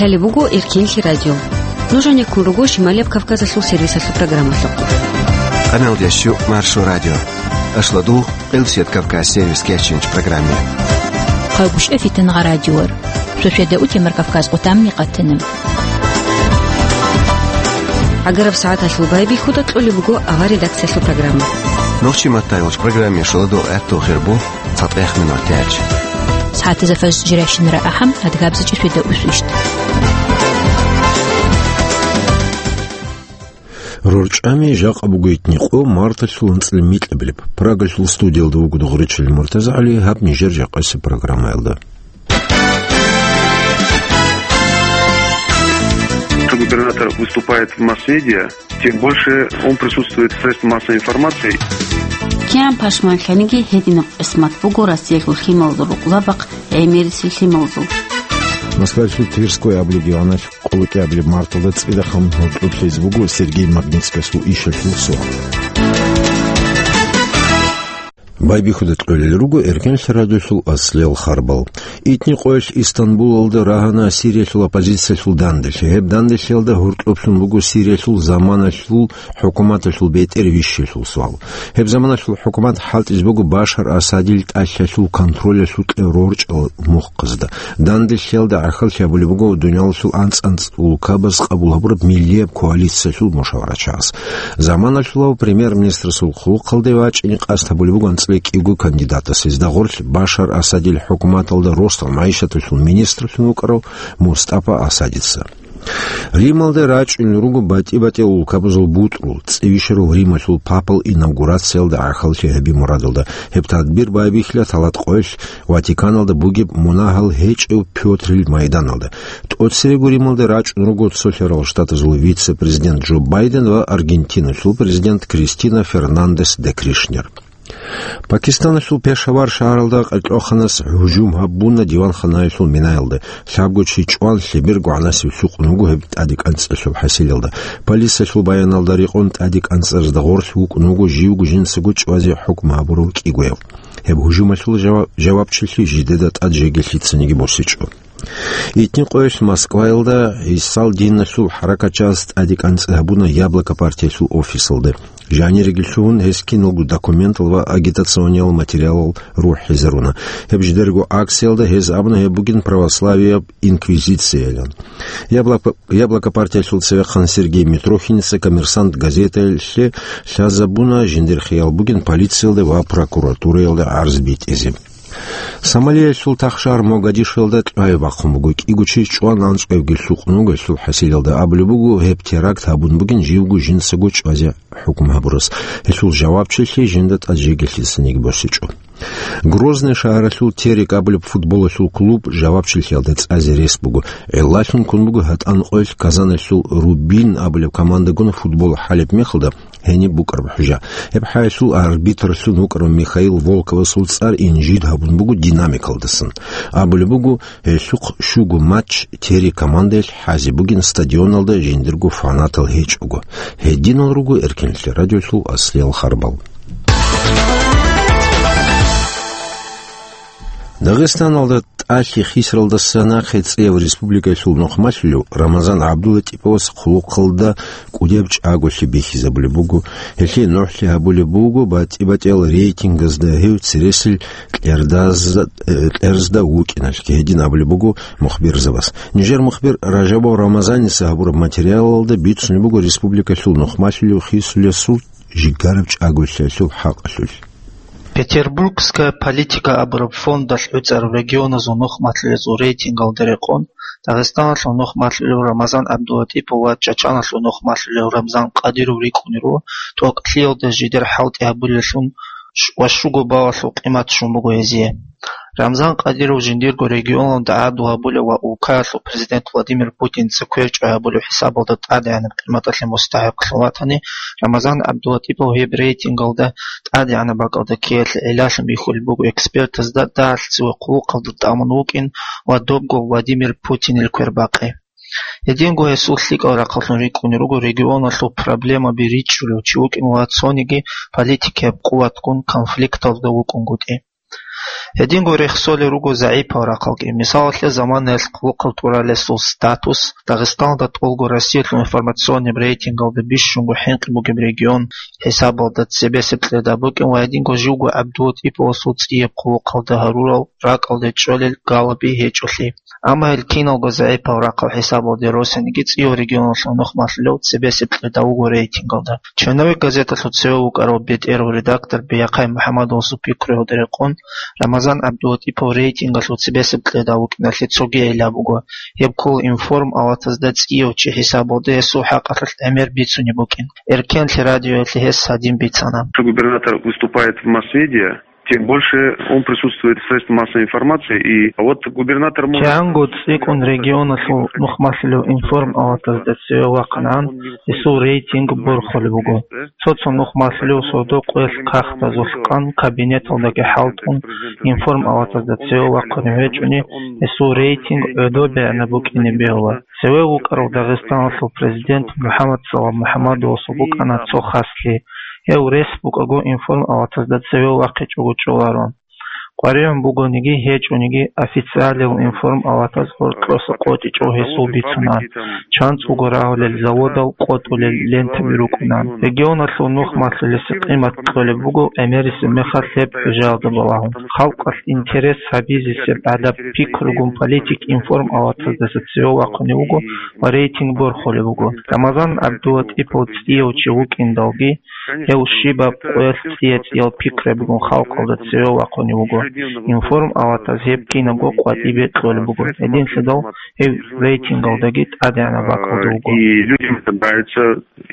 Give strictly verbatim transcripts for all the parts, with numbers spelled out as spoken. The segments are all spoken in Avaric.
Лъалеб буго Эркенлъи радио. Нуж гьанеккун руго Шималияб Кавказалъул сервисалъул программалъухъ. Къаналдящу Маршо радио. Ашладу Къилсият Кавказ сервис кечинч программе. Хъалбушев Фитангъа радиор. Шошеда утемар Кавказ къутамни къатана. Агараб сагӀаталъул байбихьуда кьолеб буго авар редакциялъул программа. Нохчи маттайолч программе шоладо гӀатту хирбу цатӀех минут тяч. СагӀатазда фажр жиращинара ахӀам, адгабзачӀи шведа усвищт. РорчӀами жакъа буго итни къо марталъул анцӀила микьабилеб. Прагалъул студиялда вуго Догъричил МуртазагӀали, гьаб нижер жакъасеб программаялда. Губернатор выступает в масс-медиа, тем больше он присутствует в средствах массовой информации. КигӀан пашманлъаниги гьединаб къисмат буго Россиялъул лъималазул рукъзабахъ гӀемерисел лъималазул. Москвалъул Тверской абулеб диваналъ къоло кӀиабилеб марталда цӀидахъан гьоркьоб лъезе буго Сергей Магнитскасул ишалъул суал. Байбихьуда кьолел руго Эркенлъи радиолъул аслиял харбал. Итни къоялъ Истанбулалда рагьана Сириялъул оппозициялъул данделъи. Гьеб данделъиялда гьоркьоблъун буго Сириялъул заманалъул хӀукуматалъул бетӀер вищелъул суал. Гьеб заманалъул хӀукумат хӀалтӀизе буго Башар Асадил тӀалъалъул контролялъукье рорчӀал мухъазда. Данделъиялда гӀахьаллъи гьабулеб буго дуниялалъул анцӀ-анцӀ улкабаз къабул гьабураб миллияб коалициялъул мушаварачагӀаз. Заманалъулав премьер-министрасул хъулухъалде вачӀине къасд гьабулеб буго анцӀила кӀиго кандидатас. Гьезда гъорлъ Башар Асадил хӀукуматалда росдал магӀишаталъул министрлъун вукӀарав МустӀафа Асадица. Рималда рачӀунел руго батӀи-батӀиял улкабазул бутӀрул, цӀивищарав Рималъул папал инавгурациялда гӀахьаллъи гьаби мурадалда. Гьеб тадбир байбихьила талат къоялъ Ватиканалда бугеб мунагьал гьечӀев Пётрил майданалда. ТӀоцерего Рималда рачӀун руго Цолъарал Штатазул вице-президент Джо Байден ва Аргентиналъул президент Кристина Фернандес де Кришнер. Пакистаналъул Пешавар шагьаралда къеркьоханас гьужум гьабуна диванханаялъул минаялда. Лъабго чи чӀван, лъеберго гӀанасеб лъукъун вуго гьеб тӀадекӀанцӀалъул хӀасилалда. Полициялъул баяналда рекъон тӀадекӀанцӀаразда гъорлъ вукӀун вуго живго жинцаго чӀвазе хӀукму гьабурав кӀигояв. Гьеб гьужумалъул жава-, жавабчилъи жидеда тӀад жеги лъицаниги босичӀо. Итни къоялъ Москваялда гӀисал диналъул хӀаракатчияс тӀадекӀанцӀи гьабуна Яблоко партиялъул офисалда. Жаниреги лъугьун, гьес киналго документал ва агитациониял материалал рухӀизаруна. Гьеб жидерго акциялда гьез абуна гьеб бугин православияб инквизициялан. Яблоко, Яблоко партиялъул цевехъан Сергей Митрохиница «Коммерсант» газеталъе лъазабуна жиндир хиял бугин полициялда ва прокуратураялда гӀарз битӀизе. Сомалиялъул тахшагьар Могадишоялда кьвай бахъун буго. КӀиго чи чӀван, анцӀкӀовги лъукъун вуго гьелъул хӀасилалда. Абулеб буго, гьеб теракт гьабун бугин живго жинцаго чӀвазе хӀукму гьабурас. Гьелъул жавабчилъи жинда тӀад жеги лъицаниги босичӀо. Грозный шагьаралъул Терек абулеб футболалъул клуб жавабчилъиялда цӀазе рес буго. ГӀиллалъун ккун буго гьатӀан къоялъ Казаналъул Рубин абулеб командагун футбол хӀалеб мехалда гьениб букӀараб хӀужа. Гьеб хӀалалъул арбитрлъун вукӀарав Михаил Волковасул цӀар инжит гьабун буго динамикалдасан. Абулеб буго, гьелъухъ щуго матч Терек командаялъ хӀазе бугин стадионалда жиндирго фанатал гьечӀого. Гьединал руго Эркенлъи радиолъул аслиял харбал. Дагъистаналда тӀалъи хисаралдаса нахъе цӀияб республикалъул нухмалъулев Рамазан ГӀабдулатӀиповас хъулухъалда кӀудияб чӀаголъи бихьизабулеб буго. Гьелъие нухӀлъи гьабулеб буго батӀи-батӀиял рейтингазда гьев цересел кьердазда, э, кьерзда вукӀиналъги, гьедин абулеб буго мухбирзабаз. Нижер мухбир Ражабов Рамазаница гьабураб материалалда бицунеб буго республикалъул нухмалъулев хисулесул жигараб чӀаголъиялъул хӀакъалъулъ. «Петербургская политика» абураб фондалъ гӀуцӀараб регионазул нухмалъулезул рейтингалда рекъон, Дагъистаналъул нухмалъулев Рамазан ГӀабдулатӀипов ва Чачаналъул нухмалъулев Рамзан Къадиров рикӀкӀунел руго, тӀокӀлъиялда жидер хӀалтӀи гьабулеллъун ва щуго баллалъул къимат щун буго гьезие. Рамзан Къадиров жиндирго регионалда гӀарац гьабулев ва улкаялъул президент Владимир Путинца кверчӀо гьабулев хӀисабалда тӀадегӀанаб къиматалъе мустахӀикълъун ватани, Рамазан ГӀабдулатӀипов гьеб рейтингалда тӀадегӀанаб бакӀалда ккеялъе гӀиллалъун бихьулеб буго экспертазда дагьалъ цеве хъулухъалда тӀамун вукӀин ва добго Владимир Путинил квер бакъи. Гьединго гьесул лъикӀал рахъалъун рикӀкӀунел руго регионалъул проблемаби ричӀчӀулев чи вукӀин ва цониги политикияб къуватгун конфликталда вукӀунгутӀи. Гьединго рехсолел руго загӀипал рахъалги. Мисалалъе, заманаялъ хъулухъал тӀуралесул статус, Дагъистаналда тӀолго Россиялъул информационный рейтингалда бищунго хӀинкъи бугеб регион хӀисабалда цебесеб кьеда букӀин ва гьединго живго ГӀабдулатӀиповасул цӀияб хъулухъалда гьарурал ракӀалде чӀолел галаби гьечӀолъи. Амма гьел киналго загӀипал рахъал хӀисабалде росаниги цӀияб регионалъул нухмалъулев цебесеб кьеда вуго рейтингалда. Черновик газеталъул цеве вукӀарав бетӀерав редактор Бияхъай МухӀаммадовасул пикруялда рекъон, Рамазан ГӀабдулатӀипов рейтингалъул цебесеб кьеда вукӀиналъе цоги гӀилла буго. Гьеб ккола информ аватазда цӀияв чи хӀисабалда гьесул хӀакъалъулъ гӀемер бицунеб букӀин. Эркенлъи радиоялъе гьес гьадин бицана. Губернатор выступает в масс-медиа, тем больше он присутствует в средствах массовой информации, и вот губернатор может... КигӀанго цӀикӀкӀун регионалъул нухмалъулев информ аватазда цеве вахъанагӀан, гьесул рейтинг борхулеб буго. Цо-цо нухмалъулев сордо-къоялъ кагътазулъ къан кабинеталдаги хӀалтӀун, информ аватазда цеве вахъунев гьечӀони, гьесул рейтинг гӀодобегӀанаб букӀине бегьула. Цеве вукӀарав Дагъистаналъул президент МухӀаммадсалам МухӀаммадовасул букӀана цо хаслъи. Гьев рес букӀаго информ аватазда цеве вахъичӀого чӀоларо. КъваригӀун бугониги гьечӀониги, официалияв информ аватаз гьоркьоса къотӀичӀо гьесул бицунан, чанцӀуго рагьулел заводал къотӀулел лентаби рукӀунан. Регионалъул нухмалъулесе къимат кьолеб буго гӀемерисеб мехалъ гьеб хӀужаялда балагьун. Халкъалъ интерес гьабизесеб гӀадаб пикругун политик информ аватаздаса цеве вахъунев вуго ва рейтинг борхулеб буго. Рамазан ГӀабдулатӀипов цӀияв чи вукӀиндалги, гьев щибаб къоялъ цӀия-цӀиял пикрабигун халкъалда цеве вахъунев вуго. Информ аватаз гьеб кинабго къватӀибе кьолеб буго. Гьединлъидал гьев рейтингалдаги тӀадегӀанаб бакӀалда вуго. И людям это нравится,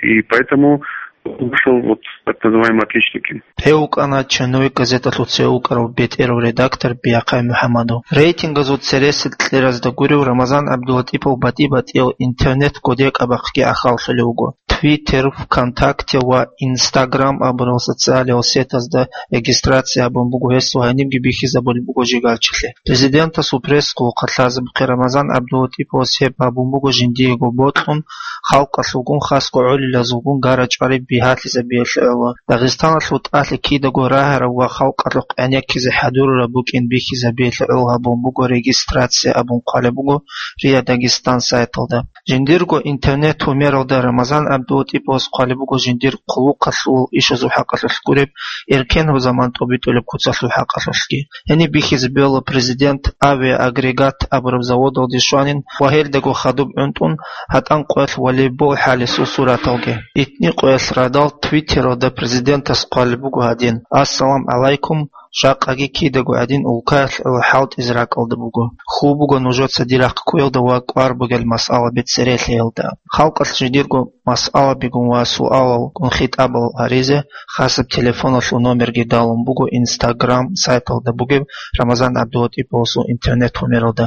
и поэтому вышел вот так называемый отличник. Гьев вукӀана «Черновик» газеталъул цеве вукӀарав бетӀерав редактор Бияхъай МухӀаммадов. Рейтингазул цересел кьеразда гурев Рамазан ГӀабдулатӀипов батӀи-батӀиял интернет кодекӀабахъги ахӀаллъулев вуго. Twitter, ВКонтакте ва Instagram абурал социалиял сетазда регистрация гьабун буго гьес ва гьанибги бихьизабулеб буго жигарчилъи. Президентасул пресс-хъулухъалъ лъазабухъе Рамазан ГӀабдулатӀиповас гьеб гьабун буго жиндиего бокьун, халкъалъулгун, хасго гӀолилазулгун гара-чӀвари бигьалъизабиялъе гӀоло. Дагъистаналъул тӀалъи кидаго рагьараб ва халкъалъухъ гӀенеккизе хӀадурараб букӀин бихьизабиялъе гӀоло гьабун буго регистрация абун хъвалеб буго РИА Дагестан сайталда. Жиндирго интернет-гьумералда Рамазан ГӀабдулатӀиповас хъвалеб буго жиндир хъулухъалъул ишазул хӀакъалъулъ гуреб, эркенаб заман тӀобитӀулеб куцалъул хӀакъалъулъги. Гьениб бихьизабиялъе президент авиаагрегат абураб заводалде щванин ва гьелдаго хадуб гӀунтӀун гьатӀан къоялъ волейбол хӀалесул сураталги. ИтӀни къоялъ радал Твиттералда президентас хъвалеб буго гьадин: «Ассалам гӀалайкум, жакъаги кидаго гӀадин улкаялъ гӀоло хӀалтӀизе ракӀалда буго. Хьул буго нужеца дир рахъ кквеялда ва кӀвар бугел масъалаби церехиялда». Халкъалъ жидерго масъалабигун ва суалалгун хитӀабал гьаризе хасаб телефоналъул номерги далун буго Instagram сайталда бугеб Рамазан ГӀабдулатӀиповасул интернет-гьумералда.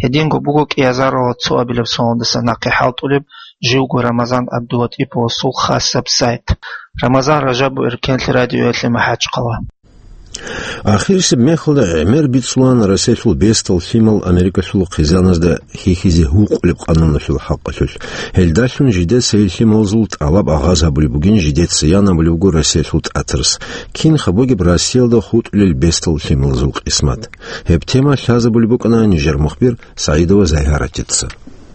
Гьединго буго кӀиазарала цоабилеб соналдаса нахъе хӀалтӀулеб живго Рамазан ГӀабдулатӀиповасул хасаб сайт. Рамазан Ражабов, Эркенлъи радиоялъе, МахӀачхъала. Ахирисеб мехалда гӀемер бицулаан Россиялъул бесдал лъимал Америкалъул хъизаназда хьихьизе гьукъулеб къануналъул хӀакъалъулъ. Гьелдалъун жидеца гьел лъималазул тӀалаб агъаз гьабулеб бугин, жидеца ян абулеб буго Россиялъул тӀатарас. Кинха бугеб Россиялда хутӀулел бесдал лъималазул къисмат? Гьеб тема лъазабулеб букӀана нижер мухбир СагӀидова Загьаратица.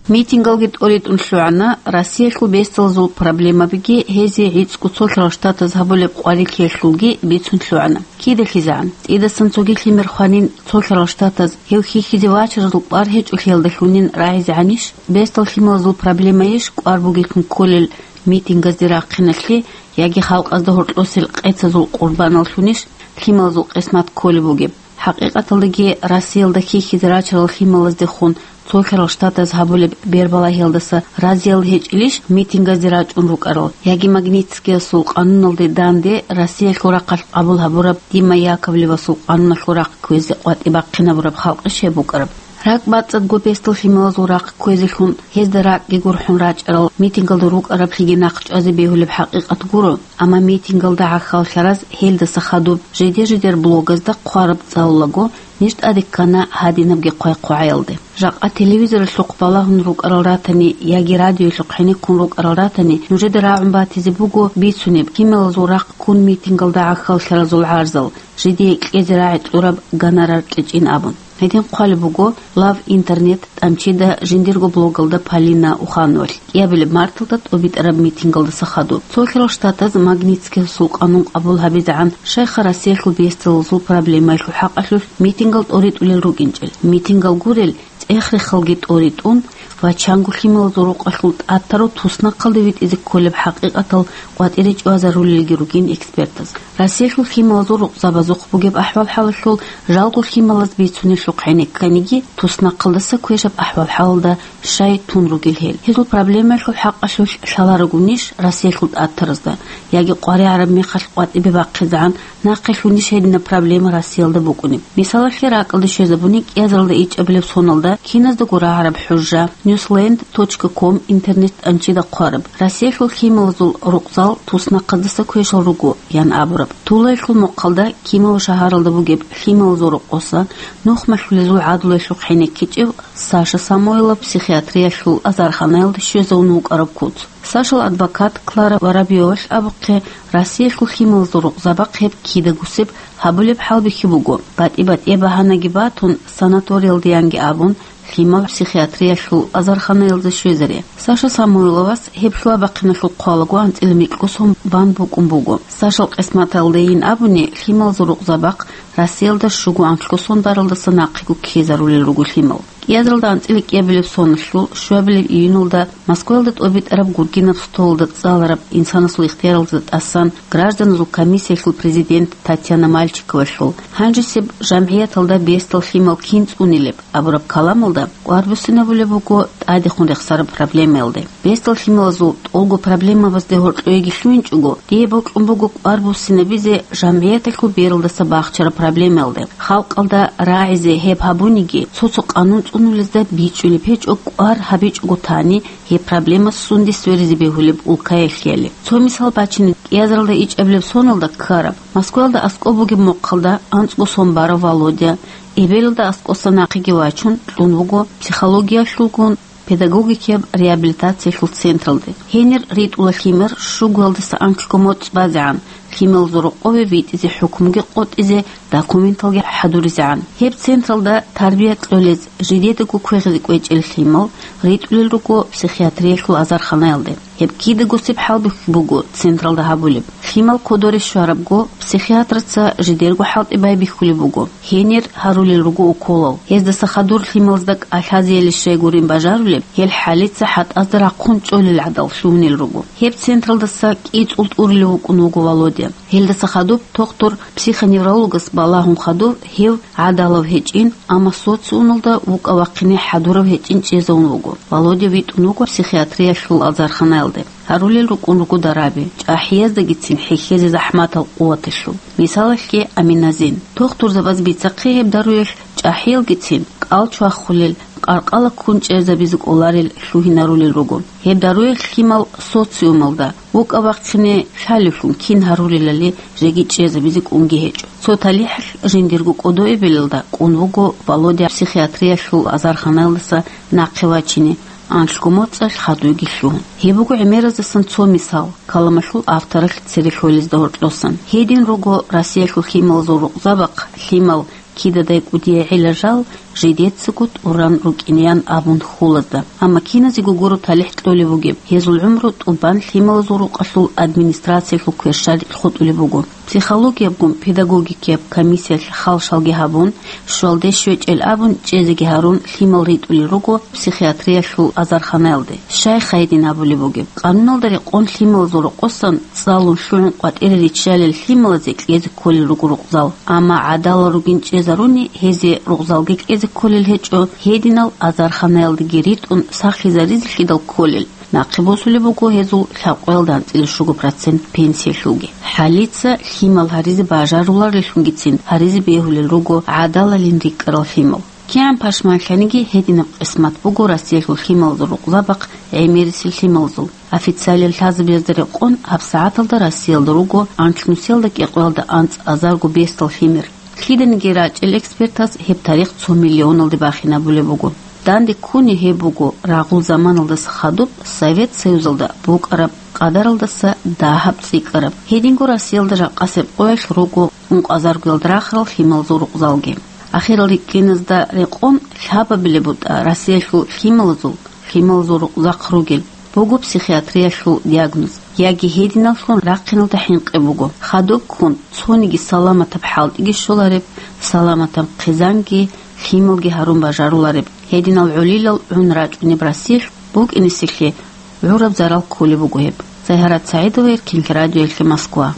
Митингалги тӀоритӀун лъугӀана, Россиялъул бесдалазул проблемабиги гьезие гӀицӀго цолъарал штатаз гьабулеб къварилъиялъулги бицун лъугӀана. Кида лъизегӀан, цӀидасан цоги лъимер хванин, цолъарал штатаз гьев хьихьизе вачаразул кӀвар гьечӀолъиялдалъунин рагӀизегӀанищ, бесдал лъималазул проблемайищ кӀвар бугеблъун кколел митингазде рахъиналъе яги халкъазда гьоркьосел къецазул къурбаналлъунищ лъималазул къисмат кколеб бугеб? ХӀакъикъаталдаги, Россиялда хьихьизе рачарал лъималаздехун цолъарал штатаз гьабулеб бербалагьиялдаса разиял гьечӀелищ митингазде рачӀун рукӀарал? Яги Магнитскиясул къануналде данде Россиялъул рахъалъ къабул гьабураб Дима Яковлевасул къануналъул рахъ кквезе къватӀибахъинабураб халкъищ гьеб букӀараб? РакӀбацӀцӀадго бесдал лъималазул рахъ кквезелъун, гьезда ракӀги гурхӀун рачӀарал митингалда рукӀараблъиги нахъ чӀвазе бегьулеб хӀакъикъат гуро, амма митингалда гӀахьаллъараз гьелдаса хадуб жидер-жидер блогазда хъвараб цӀалулаго, ниж тӀаде ккана гьадинабги хъвай-хъвагӀаялде. Жакъа телевизоралъухъ балагьун рукӀарал ратани яги радиоялъухъ гьенеккун рукӀарал ратани, нужеда рагӀун батизе буго бицунеб, лъималазул рахъ ккун митингалда гӀахьаллъаразул гӀарзал, жидее кьезе рагӀи кьураб гонорар кьечӀин абун. Гьедин хъвалеб буго Лав Интернет тӀамчида жиндирго блогалда Полина Ухановалъ кӀиабилеб марталда тӀобитӀараб митингалдаса хадуб. Цолъарал Штатаз Магнитскиясул къанун къабул гьабизегӀан щайха Россиялъул бесдалазул проблемаялъул хӀакъалъулъ митингал тӀоритӀулел рукӀинчӀел. Митингал гурел, цӀех-рехалги тӀоритӀун, ва чанго лъималазул рукъалъул тӀад тарав туснахъалде витӀизе кколеб хӀакъикъатал къватӀире чӀвазарулелги ругин экспертаз. Россиялъул лъималазул рукъзабазухъ бугеб ахӀвал-хӀалалъул жалго лъималаз бицунелъухъ гӀенекканиги, туснахъалдаса квешаб ахӀвал-хӀалалда щай тун ругел гьел. Гьезул проблемаялъул хӀакъалъулъ лъаларогунищ Россиялъул тӀад таразда, яги къваригӀараб мехалъ къватӀибе бахъизегӀан нахъе лъунищ гьединаб проблема Россиялда букӀунеб? Мисалалъе, ракӀалде щвезабуни кӀиазаралда ичӀабилеб соналда киназдаго рагӀараб хӀужа, ньюсленд точка ком интернет тӀамчида хъвараб, Россиялъул лъималазул рукъзал туснахъаздаса квешал руго, ян абураб. Тулаялъул мухъалда Кимов шагьаралда бугеб лъималазул рокъоса нухмалъулезул гӀадлуялъухъ гӀенеккичӀев Саша Самойлов психиатриялъул азарханаялда щвезавун вукӀараб куц. Сашал адвокат Клара Воробьевалъ абухъе, Россиялъул лъималазул рукъзабахъ гьеб кидагусеб гьабулеб хӀалбихьи буго, батӀи-батӀияб багьанаги батун, санаториялдаянги абун, лъимал психиатриялъул азарханаялда щвезаре. Саша Самойловас гьеб лъугьа-бахъиналъул хъвалаго анцӀила микьго сон бан букӀун буго. Сашал къисматалдайин абуни, лъималазул рукъзабахъ Россиялда щуго анлъго сон баралдаса нахъего ккезарулел руго лъимал. КӀиазаралда анцӀила кӀиабилеб соналъул щуабилеб июньалда Москваялда тӀобитӀараб гургинаб столалда цӀалараб инсанасул ихтияралда тӀасан гражданазул комиссиялъул президент Татьяна Мальчиковалъул гьанжесеб жамгӀияталда бесдал лъимал кин цӀунилеб абураб каламалда кӀвар буссинабулеб буго тӀадехун рехсараб проблемаялде. Бесдал лъималазул тӀолго проблемабазде гьоркьоеги лъугьинчӀого, дие бокьун буго кӀвар буссинабизе жамгӀияталъул бералдаса бахчараб проблемаялде. Халкъалда рагӀизе гьеб гьабуниги, цо-цо къанун цӀунулезда бичӀчӀулеб гьечӀо, кӀвар гьабичӀого тани, гьеб проблема сунде сверизе бегьулеб улкаялъе. Цо мисал бачине, кӀиазаралда ичӀабилеб соналда ккараб, Москваялда аскӀоб бугеб мухъалда анцӀго сон барав Володя, эбелалда аскӀоса нахъеги вачун, кьун вуго психологиялъулгун педагогикияб реабилитациялъул централде. Гьенир ритӀула лъимер щугоялдаса анлъго моцӀ базегӀан, лъималазул рокъове витӀизе хӀукмуги къотӀизе, документалги хӀадуризегӀан. Гьеб централда тарбия кьолез жидедаго квегъизе кӀвечӀел лъимал ритӀулел руго психиатриялъул азарханаялде. Гьеб кидагосеб хӀалбихьи буго централда гьабулеб. Лъимал кодоре щварабго, психиатраца жидерго хӀалтӀи байбихьулеб буго. Гьенир гьарулел руго уколал. Гьездаса хадур лъималазда кӀалъазеяли щай гурин бажарулеб, гьел хӀалица хӀатӀазда рахъун чӀолел гӀадал лъугьунел руго. Гьеб централдаса кӀицӀул тӀурилев вукӀун вуго Володя. Гьелдаса хадуб тохтур-психоневрологас балагьун хадур гьев гӀадалав гьечӀин, амма социумалда вукӀа-вахъине хӀадурав гьечӀин чӀезавун вуго. Володя витӀун вуго психиатриялъул азарханаялде. Гьарулел рукӀун руго дараби, чӀахӀияздагицин хӀехьезе захӀматал къуваталъул. Мисалалъе, аминазин. Тохтурзабаз бицахъе гьеб даруялъ чӀахӀиялгицин кӀал чвахулел, къаркъала ккун чӀезабизе кӀоларел лъугьинарулел руго. Гьеб даруялъ лъимал социумалда вукӀа-вахъине лъалевлъун кин гьарулелали жеги чӀезабизе кӀунги гьечӀо. Цо талихӀалъ жиндирго кӀодо эбелалда кӀун вуго Володя психиатриялъул азарханаялдаса нахъе вачине, анлъго моцӀалъ хадуйги лъугьун. Гьеб буго гӀемераздасан цо мисал, каламалъул авторалъ цере лъолезда гьоркьосан. Гьедин руго Россиялъул лъималазул рукъзабахъ лъимал кидадай кӀудияй гӀела жал жидецаго тӀуран рукӀинеян абун хьулазда. Амма киназего гуро талихӀ кьолеб бугеб, гьезул гӀумру тӀубан лъималазул рукъалъул администрациялъул кверщаликь хутӀулеб буго. Психологиябгун педагогикияб комиссиялъ хал-шалги гьабун, щвалде щвечӀел абун чӀезеги гьарун лъимал ритӀулел руго психиатриялъул азарханаялде. Щай гьедин абулеб бугеб? Къануналда рекъон лъималазул рокъосан цӀалун лъугӀун къватӀире риччалел лъималазе кьезе кколел руго рукъзал. Амма гӀадалал ругин чӀезаруни гьезие рукъзалги кьезе кколел гьечӀо, гьединал азарханаялдеги ритӀун сахлъизаризелъидал кколел. Нахъе босулеб буго гьезул лъабкъоялда анцӀила щуго процент пенсиялъулги. ХӀалица лъимал гьаризе бажарулареллъунгицин гьаризе бегьулел руго гӀадалалин рикӀкӀарал лъимал. КигӀан пашманлъаниги гьединаб къисмат буго Россиялъул лъималазул рукъзабахъ гӀемерисел лъималазул. Официалияб лъазабазда рекъон гьабсагӀаталда Россиялда руго анлънусиялда кӀикъоялда анцӀазарго бесдал лъимер. Лъиданиги рачӀел экспертас гьеб тарих цо миллионалде бахинабулеб буго. Данде ккуни гьеб буго рагъул заманалдаса хадуб Совет Союзалда букӀараб къадаралдаса дагьаб цӀикӀкӀараб. Гьединго Россиялда жакъасеб къоялъ руго ункъазаргоялда рахарал лъималазул рукъзалги. Ахирал рикӀкӀиназда рекъон лъабабилеб бутӀа Россиялъул лъималазул, лъималазул рукъзахъ ругел буго психиатриялъул диагноз, яги гьединаллъун рахъиналда хӀинкъи буго. Хадуб ккун цониги саламатаб хӀалтӀиги щолареб, саламатаб хъизанги, лъималги гьарун бажарулареб. Гьединал гӀолилал гӀун рачӀунеб Россиялъ букӀинесеблъи гӀураб зарал кколеб буго гьеб. Загьарат СагӀидова, Эркин радиоялъе, Москва.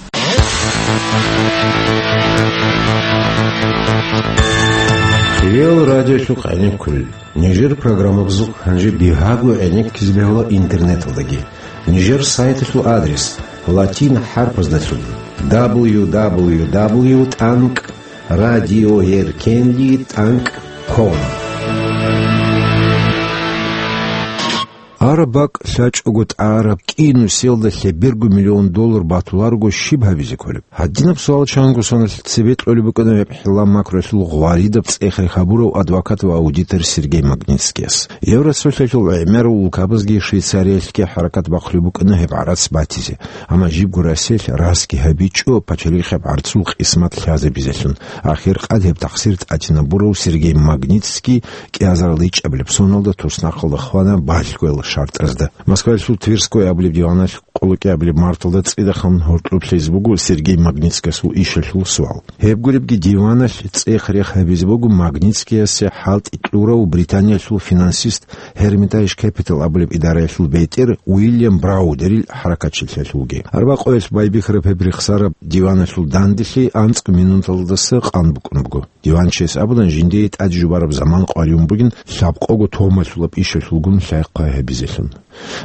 Реал радиолъухъ гӀенеккулел. Нижер программабазухъ гьанже бигьаго гӀенеккизе бегьула интернеталдаги. Нижер сайталъул адрес латин хӀарпаздалъун: дабл ю дабл ю дабл ю тӀанкӀ радиоеркенлъи тӀанкӀ ком. Араб бакӀ лъачӀого тӀараб кӀинусиялда лъеберго миллион доллар батуларого щиб гьабизе кколеб? Гьадинаб суал чанго соналъ цебе кьолеб букӀана гьеб хӀилла-макруялъул гъваридаб цӀех-рех гьабурав адвокат ва аудитор Сергей Магнитскияс. Евросоюзалъул гӀемерал улкабазги Швейцариялъги хӀаракат бахъулеб букӀана гьеб гӀарац батизе. Амма жибго Россиялъ расги гьабичӀо пачалихъаб гӀарцул къисмат лъазабизелъун. Ахир къад гьеб тахсир тӀатинабурав Сергей Магнитский кӀиазарал ичӀабилеб соналда туснахъалда хвана балъгоял шартӀазда. Москваялъул Тверской абулеб диваналъ къоло кӀиабилеб марталда цӀидахъан гьоркьоб лъезе буго Сергей Магнитскиясул ишалъул суал. Гьеб гуребги диваналъ цӀех-рех гьабизе буго Магнитскиясе хӀалтӀи кьурав Британиялъул финансист Hermitage Capital абулеб идараялъул бетӀер Уильям Браудерил хӀаракатчилъиялъулги. Арбакъоялъ байбихьараб гьеб рехсараб диваналъул данделъи анцӀго минуталдаса къан букӀун буго. Диванчияс абуна жиндие тӀаде жубараб заман къваригӀун бугин лъабкъого томалъулаб ишалъулгун лъай-хъвай гьабизелъун.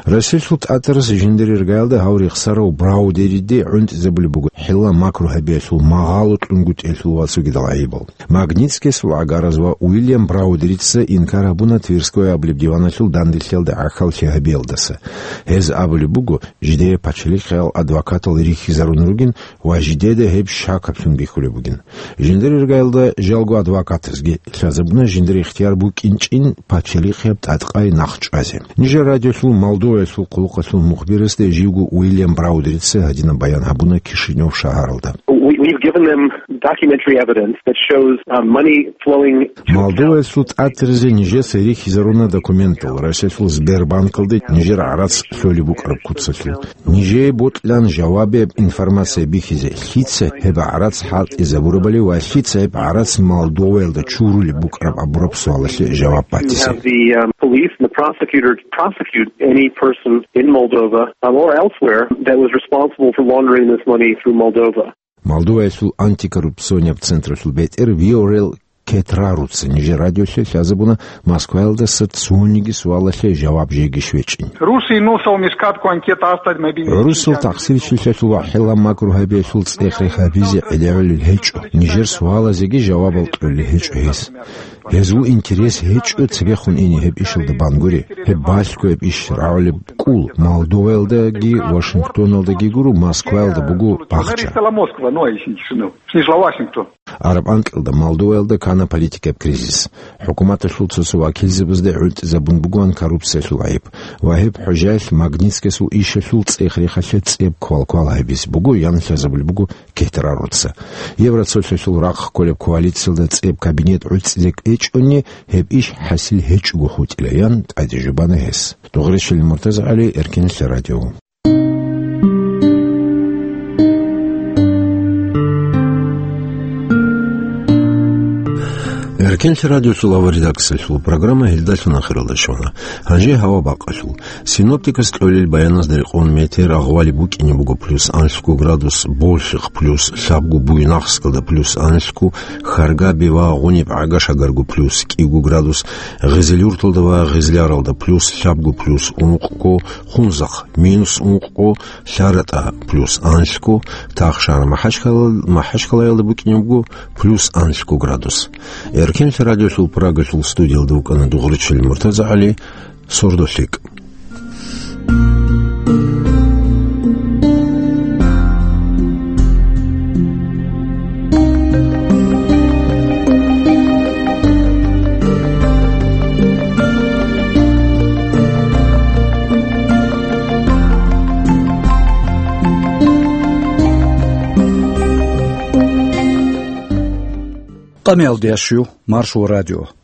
Россиялъул тӀатарас жиндир иргаялда гьав рехсарав Браудериде гӀунтӀизабулеб буго хӀилла-макру гьабиялъул магъало кьунгутӀиялъул ва цогидал гӀайибал. Магнитскиясул гӀагараз ва Уильям Браудерица инкар гьабуна Тверской абулеб диваналъул данделъиялда гӀахьаллъи гьабиялдаса. Гьез абулеб буго, жидее пачалихъал адвокатал рихьизарун ругин ва жидеда гьеб щакаблъун бихьулеб бугин. Жиндир иргаялда жалго адвокатазги лъазабуна жиндир ихтияр букӀинчӀин пачалихъияб тӀадкъай нахъ чӀвазе. Нижер радиолъул Молдоваялъул хъулухъалъул мухбирасда живго Уильям Браудерица гьадинаб баян гьабуна Кишинев шагьаралда. We, we've given them documentary evidence that shows, uh, money flowing to Молдоваялъул тӀатаризе нижеца рихьизаруна документал Россиялъул Сбербанкалде нижер гӀарац лъолеб букӀараб куцалъул. Нижее бокьилан жавабияб информация бихьизе, лъица гьеб гӀарац хӀалтӀизабурабали ва лъица гьеб гӀарац Молдоваялда чурулеб букӀараб абураб суалалъе жаваб батизе. Have the, um, police and the prosecutor prosecute any person in Moldova, um, or elsewhere that was responsible for laundering this money through Moldova. Молдоваялъул антикоррупционияб централъул бетӀер Виорел Кетраруца нижер радиолъе лъазабуна Москваялдаса цониги суалалъе жаваб жеги щвечӀин. Rusi nu s-au mișcat cu ancheta asta de mai bine de cinci ani. ГӀурусул тахсирчилъиялъул ва хӀилла-макру гьабиялъул цӀех-рех гьабизе гӀелегӀулел гьечӀо. Нижер суалазеги жавабал кьолел гьечӀо гьез. Гьезул интерес гьечӀо цебехун ине гьеб ишалда бангури. Гьеб балъго гьеб иш рагӀулеб кӀул Молдоваялдаги Вашингтоналдаги гуро, Москваялда буго бахча. Зависит от Москвы, ну, а если не, ну, снижла Вашингтон. Араб анкьалда Молдоваялда ккана политикаб кризис. ХӀукуматалъул цо-цо вакилзабазда гӀунтӀизабун бугоан коррупциялъул гӀайиб. Ва гьеб хӀужаялъ Магнитскиясул ишалъул цӀех-рехалъе цӀеб квал-квал гьабизе буго, ян лъазабулеб буго Кетраруца. Евроцолъалъул рахъ кколеб коалициялда цӀеб кабинет гӀуцӀизе кӀвечӀони, гьеб иш хӀасил гьечӀого хутӀила, ян тӀаде жубана гьес. Дугъречилин МуртазагӀали, Эркинлъи радио. Эркинлъи радиоялъул авар редакциялъул программа гьелдалъун ахиралда щвана. Гьанже гьава бакъалъул. Синоптикас кьолел баяназда рекъон метер агъвали букӀине буго плюс анлъго градус, болъихъ плюс лъабго, Буйнакскалда плюс анлъго, Харгаби ва Гъуниб ГӀагашагарго плюс кӀиго градус, Гъизилюрталда ва Гъизляралда плюс лъабго, плюс ункъго, Хунзахъ минус ункъго, ЛъаратӀа плюс анлъго, Тахшар МахӀачкъала-, МахӀачкъалаялда букӀине буго плюс анлъго градус. Кинлъи радиолъул Прагалъул студиялда вукӀана дугӀручил МуртазагӀали, «Сордо лъикӀ». Къамиялде ящу Маршо радио.